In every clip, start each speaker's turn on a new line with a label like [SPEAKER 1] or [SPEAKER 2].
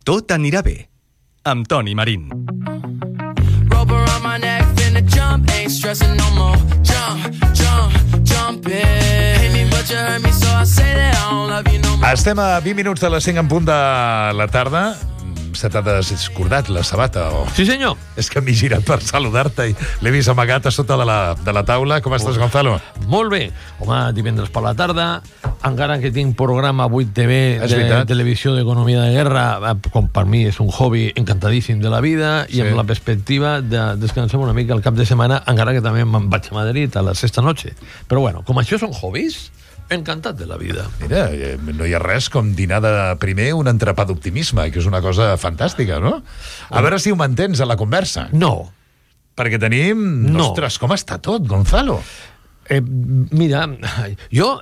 [SPEAKER 1] Tot anirà bé, amb Toni Marín.
[SPEAKER 2] Rope around my neck, finna jump, ain't stressing no more. Jump it. Hate me but you hurt me, so I say that I don't love you no more.
[SPEAKER 3] Estem a 20 minuts de les 5 en punt de la tarda. Se t'ha descordat la sabata, o...?
[SPEAKER 4] Sí, senyor.
[SPEAKER 3] És que m'he girat per saludar-te i l'he vist amagat a sota de la taula. Com estàs, Gonzalo?
[SPEAKER 4] Molt bé. Home, divendres per la tarda, encara que tinc programa 8TV de televisió d'economia de guerra, com per mi és un hobby encantadíssim de la vida, i amb la perspectiva de descansar una mica el cap de setmana, encara que també me'n vaig a Madrid a la sexta noche. Però bueno, com això són hobbies, encantat de la vida.
[SPEAKER 3] Mira, no hi ha res com dinar de primer un entrepà d'optimisme, que és una cosa fantàstica, no? A veure si ho mantens a la conversa.
[SPEAKER 4] No.
[SPEAKER 3] Perquè tenim...
[SPEAKER 4] No.
[SPEAKER 3] Ostres, com està tot, Gonzalo?
[SPEAKER 4] Mira, jo...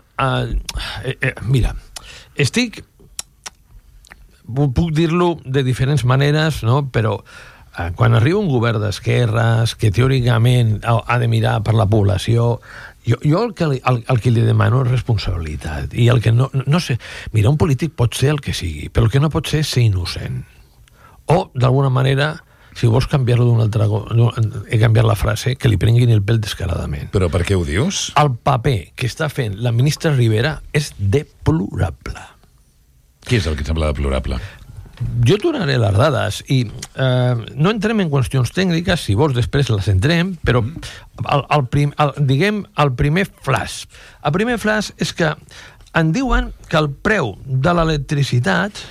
[SPEAKER 4] mira, estic... Puc dir-lo de diferents maneres, no? Però quan arriba un govern d'esquerres que teòricament ha de mirar per la població... Jo el que li demano és responsabilitat. I el que no sé... Mira, un polític pot ser el que sigui, però el que no pot ser innocent. O, d'alguna manera, si vols canviar-lo d'una altra... He canviat la frase, que li prenguin el pèl descaradament.
[SPEAKER 3] Però per què ho dius?
[SPEAKER 4] El paper que està fent la ministra Rivera és deplorable.
[SPEAKER 3] Què és el que et sembla deplorable?
[SPEAKER 4] Jo tornaré les dades i no entrem en qüestions tècniques, si vols després les entrem, però diguem el primer flash. El primer flash és que en diuen que el preu de l'electricitat,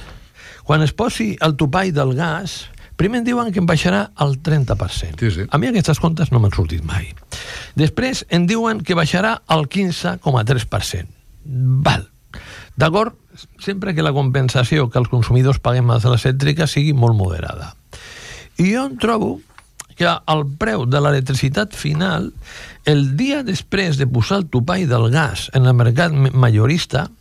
[SPEAKER 4] quan es posi el topall del gas, primer en diuen que en baixarà el 30%.
[SPEAKER 3] Sí, sí.
[SPEAKER 4] A mi aquestes comptes no m'han sortit mai. Després en diuen que baixarà el 15,3%. Val. D'acord? Sempre que la compensació que els consumidors paguem a les elèctriques sigui molt moderada. I jo em trobo que el preu de l'electricitat final, el dia després de posar el topall del gas en el mercat majorista,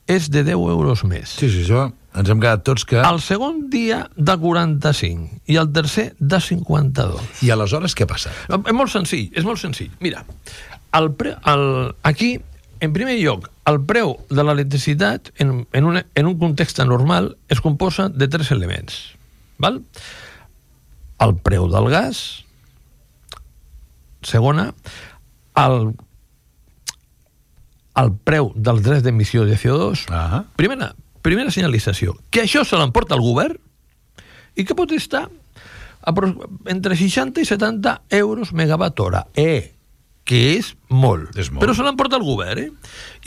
[SPEAKER 4] és de 10 euros més.
[SPEAKER 3] Sí, això ens hem quedat tots que...
[SPEAKER 4] El segon dia de 45 i el tercer de 52.
[SPEAKER 3] I aleshores què passa?
[SPEAKER 4] És molt senzill. Mira, aquí... En primer lloc, el preu de l'electricitat en un context normal es composa de 3 elements. Val? El preu del gas, segona, el preu dels drets d'emissió de CO2, primera senyalització, que això se l'emporta el govern i que pot estar entre 60 i 70 euros megawatt hora. Que és molt. Però se l'emporta el govern,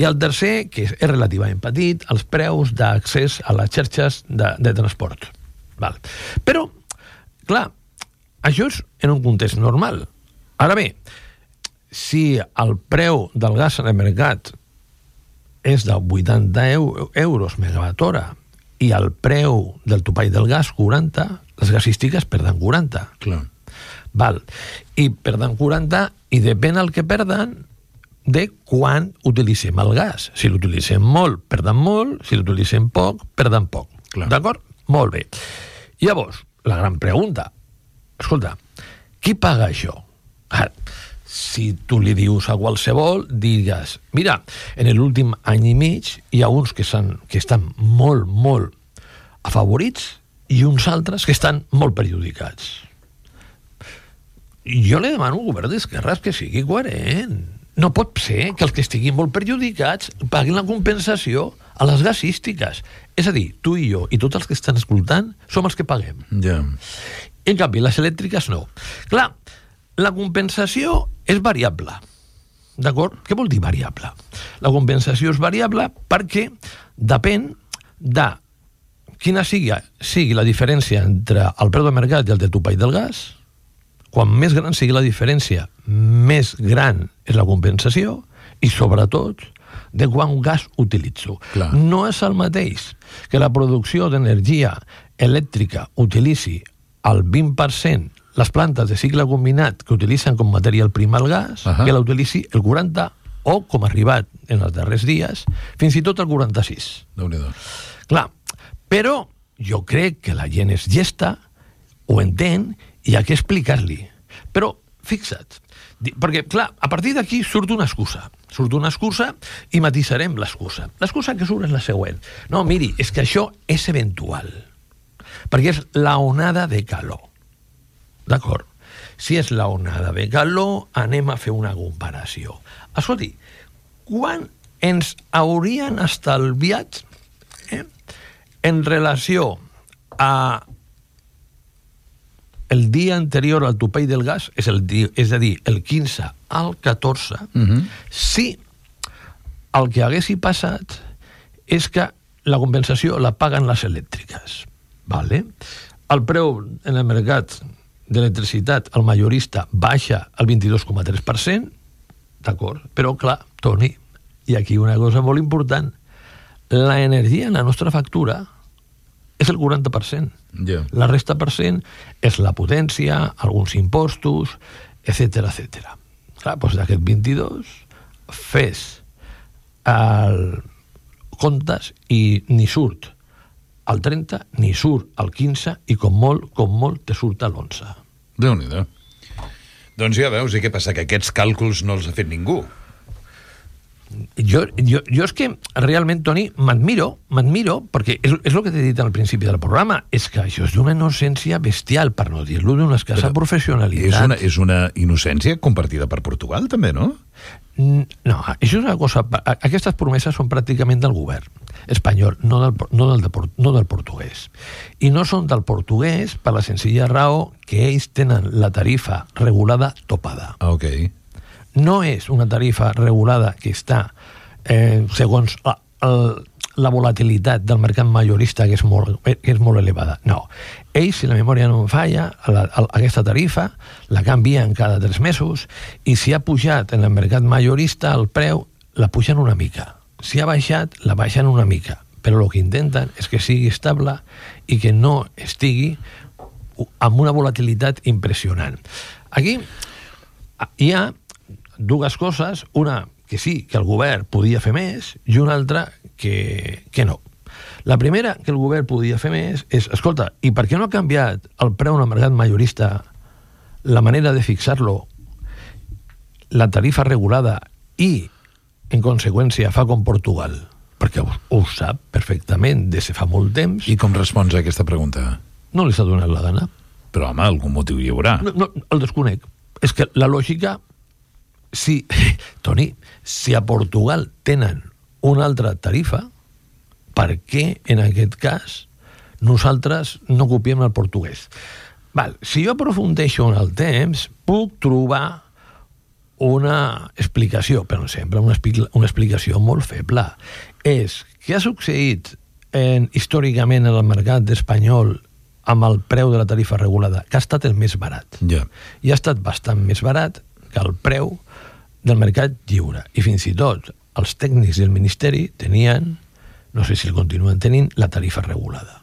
[SPEAKER 4] I el tercer, que és relativament petit, els preus d'accés a les xarxes de transport. Val. Però, clar, això és en un context normal. Ara bé, si el preu del gas en el mercat és de 80 euros megawatt hora i el preu del topall del gas 40, les gasístiques perden 40.
[SPEAKER 3] Clar.
[SPEAKER 4] Val. I perden 40 i depèn el que perden de quan utilitzem el gas. Si l'utilitzem molt, perden molt. Si l'utilitzem poc, perden poc.
[SPEAKER 3] Clar.
[SPEAKER 4] D'acord? Molt bé. Llavors, la gran pregunta. Escolta, qui paga això? Ara, si tu li dius a qualsevol, digues, mira, en l'últim any i mig hi ha uns que estan molt, molt afavorits i uns altres que estan molt perjudicats. Jo li demano al govern d'esquerres que sigui coherent. No pot ser que els que estiguin molt perjudicats paguin la compensació a les gasístiques. És a dir, tu i jo i tots els que estan escoltant som els que paguem.
[SPEAKER 3] Ja.
[SPEAKER 4] En canvi, les elèctriques no. Clar, la compensació és variable. D'acord? Què vol dir variable? La compensació és variable perquè depèn de quina sigui la diferència entre el preu de mercat i el de topall del gas. Quan més gran sigui la diferència, més gran és la compensació i, sobretot, de quant gas utilitzo.
[SPEAKER 3] Clar.
[SPEAKER 4] No és el mateix que la producció d'energia elèctrica utilitzi el 20% les plantes de cicle combinat que utilitzen com matèria prima el gas, que la utilitzi el 40% o, com ha arribat en els darrers dies, fins i tot el 46%.
[SPEAKER 3] Déu-n'hi-do.
[SPEAKER 4] Clar, però jo crec que la gent és llesta, ho entén, i hi ha que explicar-li. Però, fixa't, perquè, clar, a partir d'aquí surt una excusa i matisarem l'excusa. L'excusa que surt és la següent. No, miri, és que això és eventual. perquè és la onada de calor. D'acord? Si és la onada de calor, anem a fer una comparació. Escolti, quan ens haurien estalviat en relació a el dia anterior al topall del gas, és a dir, el 15 al 14, si el que haguessi passat és que la compensació la paguen les elèctriques. Vale? El preu en el mercat d'electricitat, el majorista, baixa el 22,3%, d'acord? Però, clar, Toni, i aquí una cosa molt important, l'energia en la nostra factura és el 40%.
[SPEAKER 3] Yeah.
[SPEAKER 4] La resta % és la potència, alguns impostos, etc etc. Clar, doncs d'aquest 22 fes el comptes i ni surt al 30, ni surt al 15 i com molt te surt a l'11.
[SPEAKER 3] Déu-n'hi-do. Doncs ja veus, i què passa? Que aquests càlculs no els ha fet ningú.
[SPEAKER 4] Jo és que realment, Toni, m'admiro, perquè és el que t'he dit al principi del programa, és que això és d'una innocència bestial, per no dir-lo d'una escassa professionalitat.
[SPEAKER 3] És una innocència compartida per Portugal, també, no?
[SPEAKER 4] No, això és una cosa... Aquestes promeses són pràcticament del govern espanyol, no del portuguès. I no són del portuguès per la senzilla raó que ells tenen la tarifa regulada topada.
[SPEAKER 3] Ok.
[SPEAKER 4] No és una tarifa regulada que està segons la volatilitat del mercat majorista, que és molt elevada. No. Ells, si la memòria no em falla, aquesta tarifa la canvien cada 3 mesos i si ha pujat en el mercat majorista el preu, la pugen una mica. Si ha baixat, la baixen una mica. Però el que intenten és que sigui estable i que no estigui amb una volatilitat impressionant. Aquí hi ha dues coses, una que sí, que el govern podia fer més, i una altra que no. La primera, que el govern podia fer més, és, escolta, i per què no ha canviat el preu en el mercat majorista, la manera de fixar-lo, la tarifa regulada i, en conseqüència, fa com Portugal? Perquè ho sap perfectament des de fa molt temps.
[SPEAKER 3] I com respons a aquesta pregunta?
[SPEAKER 4] No li s'ha donat la gana.
[SPEAKER 3] Però, home, algun motiu hi haurà.
[SPEAKER 4] No, el desconec. És que la lògica... Sí, Toni, si a Portugal tenen una altra tarifa, per què, en aquest cas, nosaltres no copiem el portuguès? Val, si jo aprofundeixo en el temps, puc trobar una explicació, però sempre una explicació molt feble. És què ha succeït històricament en el mercat espanyol amb el preu de la tarifa regulada, que ha estat el més barat.
[SPEAKER 3] Yeah.
[SPEAKER 4] I ha estat bastant més barat que el preu del mercat lliure. I fins i tot els tècnics del Ministeri tenien, no sé si el continuen tenint, la tarifa regulada.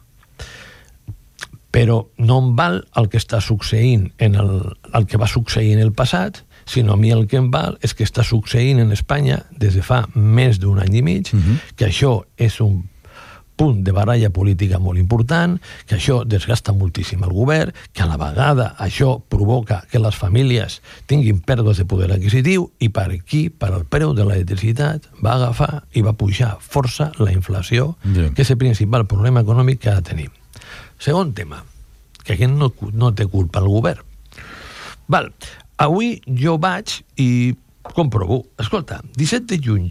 [SPEAKER 4] Però no em val el que està succeint el que va succeir en el passat, sinó a mi el que em val és que està succeint en Espanya des de fa més d'un any i mig, que això és un punt de baralla política molt important, que això desgasta moltíssim el govern, que a la vegada això provoca que les famílies tinguin pèrdues de poder adquisitiu i per aquí, per el preu de l'electricitat, va agafar i va pujar força la inflació, que és el principal problema econòmic que ara tenim. Segon tema, que aquest no té culpa el govern. Val, avui jo vaig i comprovo. Escolta, 17 de juny,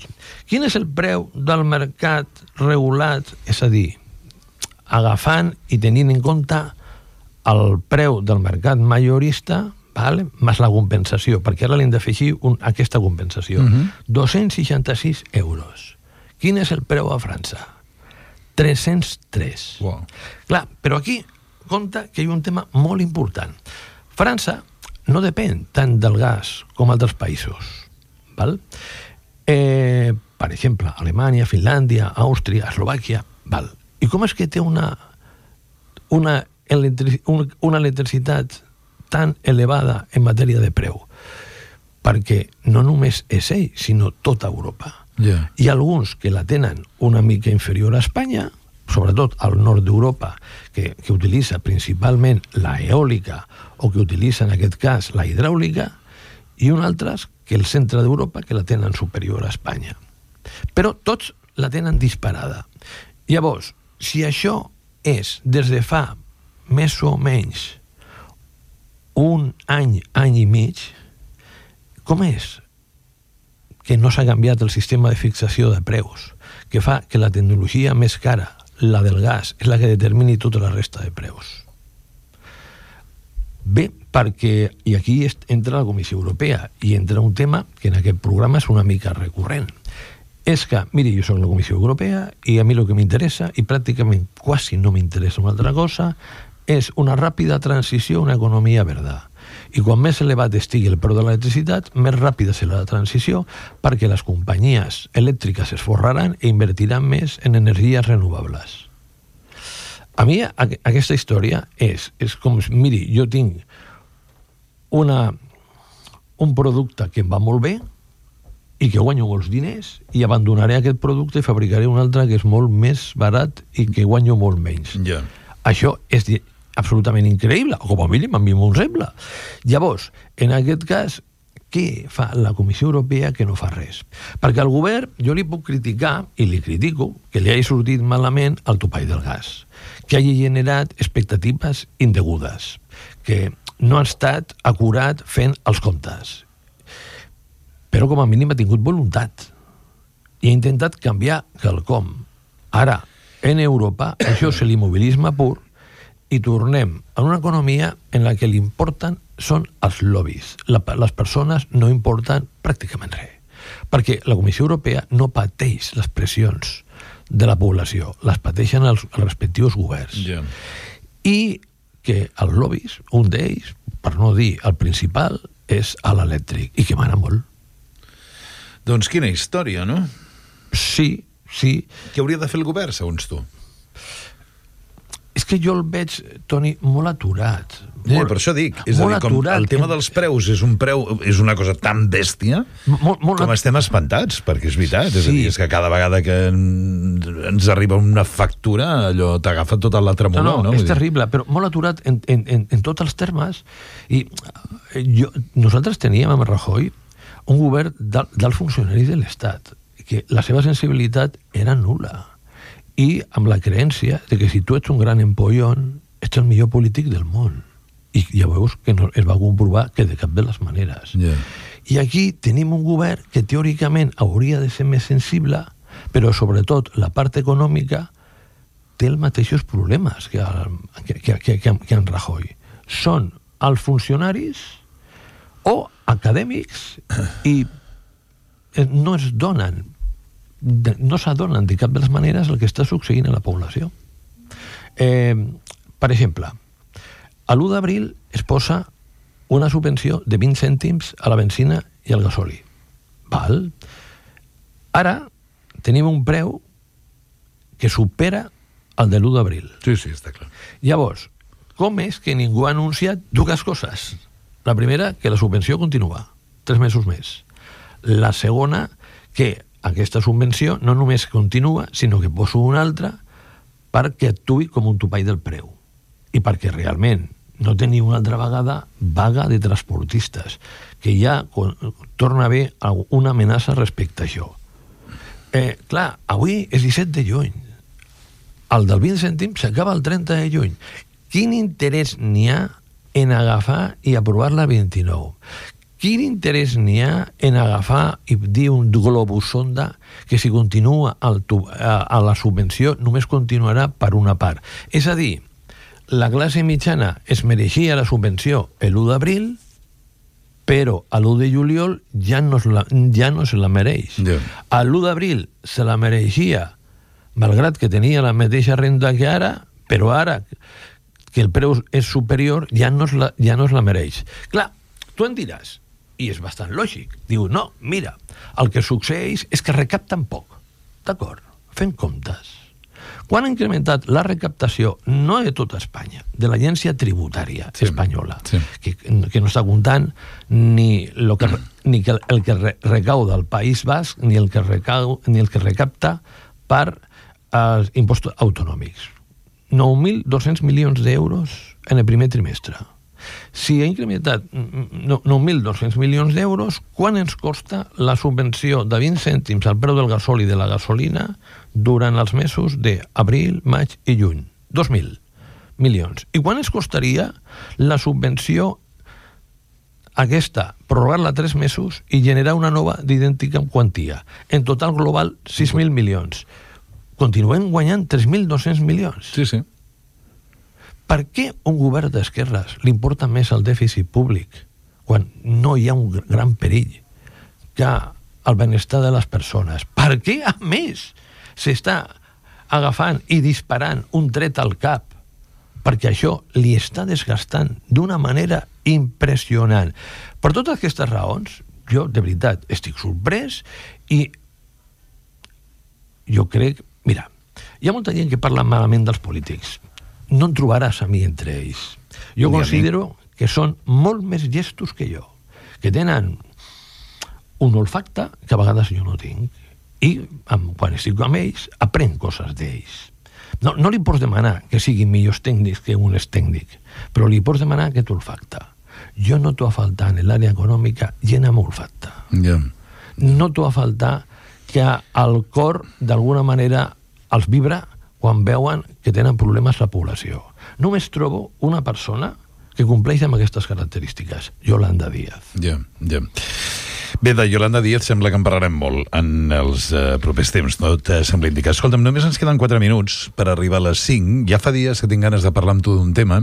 [SPEAKER 4] quin és el preu del mercat regulat? És a dir, agafant i tenint en compte el preu del mercat majorista, vale, més la compensació, perquè ara li hem d'afegir aquesta compensació. 266 euros. Quin és el preu a França? 303.
[SPEAKER 3] Wow.
[SPEAKER 4] Clar, però aquí compta que hi ha un tema molt important. França no depèn tant del gas com altres països. Val? Per exemple, Alemanya, Finlàndia, Àustria, Eslovàquia. Val. I com és que té una electricitat tan elevada en matèria de preu? Perquè no només és ell, sinó tota Europa.
[SPEAKER 3] Yeah.
[SPEAKER 4] Hi ha alguns que la tenen una mica inferior a Espanya, sobretot al nord d'Europa, que utilitza principalment la eòlica o que utilitza, en aquest cas, la hidràulica, i uns altres que el centre d'Europa que la tenen superior a Espanya. Però tots la tenen disparada. Llavors, si això és des de fa més o menys un any i mig, com és que no s'ha canviat el sistema de fixació de preus, que fa que la tecnologia més cara, la del gas, és la que determini tota la resta de preus? Bé, perquè, i aquí entra la Comissió Europea, i entra un tema que en aquest programa és una mica recurrent. És que, miri, jo soc la Comissió Europea i a mi el que m'interessa, i pràcticament quasi no m'interessa una altra cosa, és una ràpida transició a una economia verda. I quan més elevat estigui el preu de l'electricitat, més ràpida serà la transició, perquè les companyies elèctriques es forraran i invertiran més en energies renovables. A mi aquesta història és com, miri, jo tinc un producte que em va molt bé i que guanyo molts diners i abandonaré aquest producte i fabricaré un altre que és molt més barat i que guanyo molt menys.
[SPEAKER 3] Ja.
[SPEAKER 4] Això és absolutament increïble, o com a mínim a mi m'ho sembla. Llavors, en aquest cas, què fa la Comissió Europea que no fa res? Perquè al govern jo li puc criticar, i li critico, que li hagi sortit malament el topall del gas, que hagi generat expectatives indegudes, que no ha estat acurat fent els comptes. Però com a mínim ha tingut voluntat i ha intentat canviar quelcom. Ara, en Europa, això és l'immobilisme pur i tornem a una economia en la que l'importen són els lobbies. Les persones no importen pràcticament res. Perquè la Comissió Europea no pateix les pressions de la població, les pateixen els respectius governs.
[SPEAKER 3] Ja.
[SPEAKER 4] I que els lobbies, un d'ells, per no dir el principal, és a l'elèctric, i que mana molt.
[SPEAKER 3] Doncs quina història, no?
[SPEAKER 4] Sí.
[SPEAKER 3] Què hauria de fer el govern, segons tu?
[SPEAKER 4] És que jo el veig, Toni, molt aturat.
[SPEAKER 3] Per això dic, és a dir, com el tema dels preus és una cosa tan bèstia com estem espantats, perquè és veritat, és a dir, és que cada vegada que ens arriba una factura allò t'agafa tota la tremolor, no?
[SPEAKER 4] És terrible, però molt aturat en tots els termes. I nosaltres teníem amb Rajoy un govern dels funcionaris de l'Estat, que la seva sensibilitat era nul·la, i amb la creença de que si tu ets un gran empollón ets el millor polític del món, i ja veus que no, es va comprovar que de cap de les maneres. I aquí tenim un govern que teòricament hauria de ser més sensible, però sobretot la part econòmica té els mateixos problemes que en Rajoy. Són els funcionaris o acadèmics i no s'adonen de cap de les maneres el que està succeint a la població. Per exemple, a l'1 d'abril es posa una subvenció de 20 cèntims a la benzina i al gasoli. Val? Ara tenim un preu que supera el de l'1 d'abril.
[SPEAKER 3] Sí, està clar.
[SPEAKER 4] Llavors, com és que ningú ha anunciat dues coses? La primera, que la subvenció continua 3 mesos més. La segona, que aquesta subvenció no només continua, sinó que poso una altra perquè actuï com un topall del preu i perquè realment no teniu una altra vegada vaga de transportistes, que ja torna a haver una amenaça respecte a això. Clar, avui és 17 de juny. El del 20 cèntims s'acaba el 30 de juny. Quin interès n'hi ha en agafar i aprovar la 29? Quin interès n'hi ha en agafar i dir un globus sonda que si continua a la subvenció només continuarà per una part? És a dir, la classe mitjana es mereixia la subvenció l'1 d'abril, però a l'1 de juliol ja no se la mereix. A l'1 d'abril se la mereixia, malgrat que tenia la mateixa renda que ara, però ara que el preu és superior ja no es la mereix. Clar, tu em diràs, i és bastant lògic, diu, no, mira, el que succeeix és que recapten poc. D'acord, fem comptes. Quan ha incrementat la recaptació, no de tota Espanya, de l'agència tributària espanyola, que no està comptant ni el que recauda el País Basc ni el que recapta per impostos autonòmics. 9.200 milions d'euros en el primer trimestre. Si ha incrementat 9.200 milions d'euros, quan ens costa la subvenció de 20 cèntims al preu del gasoli i de la gasolina durant els mesos d'abril, maig i juny? 2.000. milions. I quan ens costaria la subvenció aquesta, prorrogar-la 3 mesos i generar una nova d'idèntica quantia? En total global, 6.000 milions. Continuem guanyant 3.200 milions.
[SPEAKER 3] Sí, sí.
[SPEAKER 4] Per què un govern d'esquerres li importa més el dèficit públic quan no hi ha un gran perill que el benestar de les persones? Per què, a més, s'està agafant i disparant un tret al cap? Perquè això li està desgastant d'una manera impressionant. Per totes aquestes raons, jo, de veritat, estic sorprès i jo crec... Mira, hi ha molta gent que parla malament dels polítics. No en trobaràs a mi entre ells. Jo considero que són molt més llestos que jo, que tenen un olfacte que a vegades jo no tinc. I quan estic amb ells, aprenc coses d'ells. No li pots demanar que siguin millors tècnics que un és tècnic, però li pots demanar aquest olfacte. Jo noto a faltar en l'àrea econòmica gent amb olfacte.
[SPEAKER 3] Yeah.
[SPEAKER 4] Noto a faltar que el cor, d'alguna manera, els vibra quan veuen que tenen problemes la població. Només trobo una persona que compleix amb aquestes característiques, Yolanda Díaz.
[SPEAKER 3] Ja. Bé, de Yolanda Díaz sembla que en parlarem molt en els propers temps, no et sembla indicar. Escolta'm, només ens queden 4 minuts per arribar a les 5. Ja fa dies que tinc ganes de parlar amb tu d'un tema,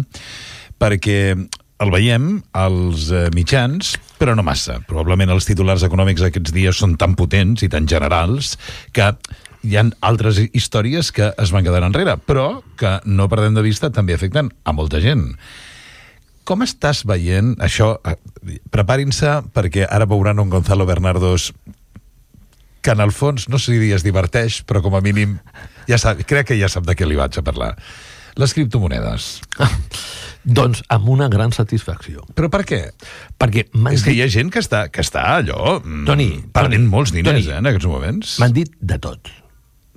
[SPEAKER 3] perquè el veiem als mitjans, però no massa. Probablement els titulars econòmics aquests dies són tan potents i tan generals que hi ha altres històries que es van quedar enrere, però que no perdem de vista també afecten a molta gent. Com estàs veient això? Preparin-se, perquè ara veuran un Gonzalo Bernardos que en el fons, no sé si es diverteix, però com a mínim crec que ja sap de què li vaig a parlar. Les criptomonedes.
[SPEAKER 4] Doncs amb una gran satisfacció.
[SPEAKER 3] Però per què?
[SPEAKER 4] Perquè
[SPEAKER 3] és que hi ha gent que està allò perdent molts diners en aquests moments.
[SPEAKER 4] M'han dit de tot.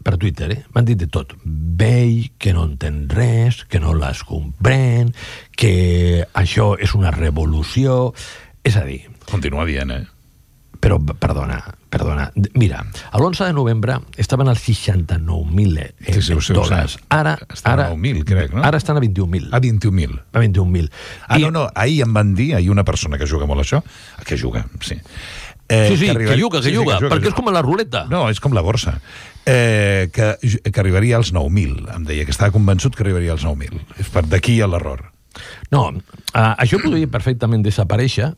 [SPEAKER 4] Per Twitter, m'han dit de tot. Vell, que no entén res, que no les comprèn, que això és una revolució. És a dir...
[SPEAKER 3] Continua dient,
[SPEAKER 4] Però, perdona. Mira, l'11 de novembre estaven als 69.000 dòlars. Ara
[SPEAKER 3] estan a 9.000, crec, no?
[SPEAKER 4] Ara estan a 21.000.
[SPEAKER 3] A 21.000.
[SPEAKER 4] A 21.000.
[SPEAKER 3] No, ahir em van dir, ahir una persona que juga molt això, que juga, sí.
[SPEAKER 4] Sí, que juga, perquè és com la ruleta.
[SPEAKER 3] No, és com la borsa. Que arribaria als 9.000, em deia, que estava convençut que arribaria als 9.000. És per d'aquí a l'error.
[SPEAKER 4] No, això podria perfectament desaparèixer,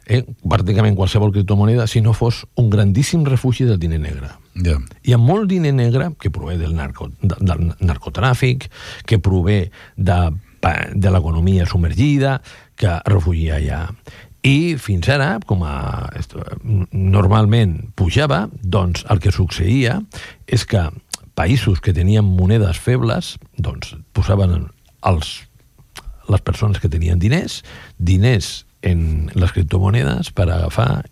[SPEAKER 4] pràcticament qualsevol criptomoneda, si no fos un grandíssim refugi del diner negre.
[SPEAKER 3] Yeah.
[SPEAKER 4] Hi ha molt diner negre que prové del narcotràfic, que prové de l'economia submergida, que es refugia allà. I fins ara, com normalment pujava, doncs el que succeïa és que països que tenien monedes febles doncs posaven les persones que tenien diners en les criptomonedes per agafar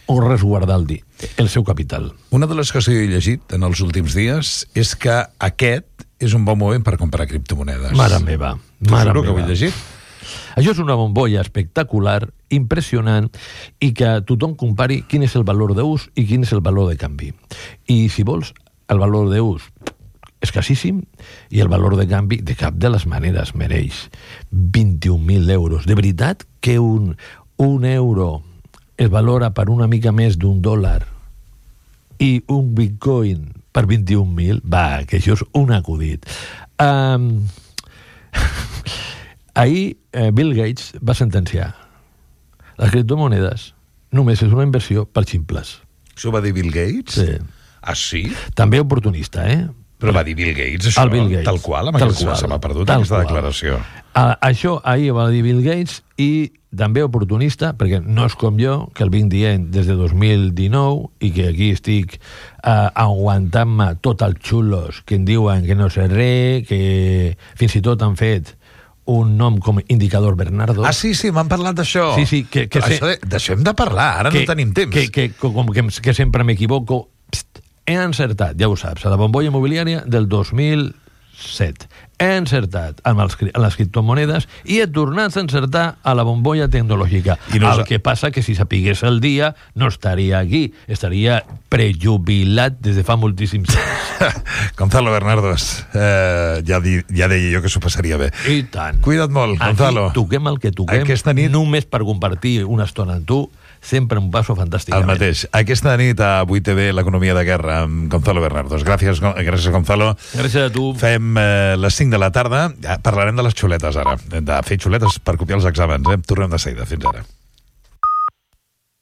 [SPEAKER 4] o resguardar el seu capital.
[SPEAKER 3] Una de les coses que he llegit en els últims dies és que aquest és un bon moment per comprar criptomonedes.
[SPEAKER 4] Mare meva.
[SPEAKER 3] T'ho que ho he llegit?
[SPEAKER 4] Això és una bombolla espectacular, impressionant, i que tothom compari quin és el valor d'ús i quin és el valor de canvi. I si vols, el valor d'ús escassíssim i el valor de canvi de cap de les maneres mereix 21.000 euros. De veritat que un euro es valora per una mica més d'un dòlar i un bitcoin per 21.000? Va, que això és un acudit. Ahir Bill Gates va sentenciar les criptomonedes només és una inversió per ximples.
[SPEAKER 3] Això va dir Bill Gates?
[SPEAKER 4] Sí.
[SPEAKER 3] Ah, sí?
[SPEAKER 4] També oportunista,
[SPEAKER 3] Però va dir Bill Gates, això?
[SPEAKER 4] Bill Gates.
[SPEAKER 3] Tal qual, se m'ha perdut aquesta declaració.
[SPEAKER 4] Això ahir va dir Bill Gates i també oportunista, perquè no és com jo, que el vinc dient des de 2019 i que aquí estic aguantant-me tot els xulos que em diuen que no sé res, que fins i tot han fet un nom com Indicador Bernardo.
[SPEAKER 3] Ah, sí, m'han parlat d'això.
[SPEAKER 4] Sí,
[SPEAKER 3] d'això hem de parlar, ara no tenim temps.
[SPEAKER 4] Que sempre m'equivoco. He encertat, ja ho saps, a la bombolla immobiliària del 2007. he encertat amb les criptomonedes i he tornat a encertar a la bombolla tecnològica. El que passa que si sapigués el dia no estaria aquí, estaria prejubilat des de fa moltíssims anys.
[SPEAKER 3] Gonzalo Bernardos, ja deia jo que s'ho passaria bé.
[SPEAKER 4] I tant.
[SPEAKER 3] Cuida't molt, Gonzalo.
[SPEAKER 4] Aquí toquem el que toquem, només per compartir una estona amb tu, sempre un passo fantàstic.
[SPEAKER 3] El mateix. Aquesta nit a 8TV, l'economia de guerra, amb Gonzalo Bernardos. Gràcies, Gonzalo.
[SPEAKER 4] Gràcies a tu.
[SPEAKER 3] Fem les 5 de la tarda. Parlarem de les xuletes, ara. De fer xuletes per copiar els exàmens. Tornem de seguida. Fins ara.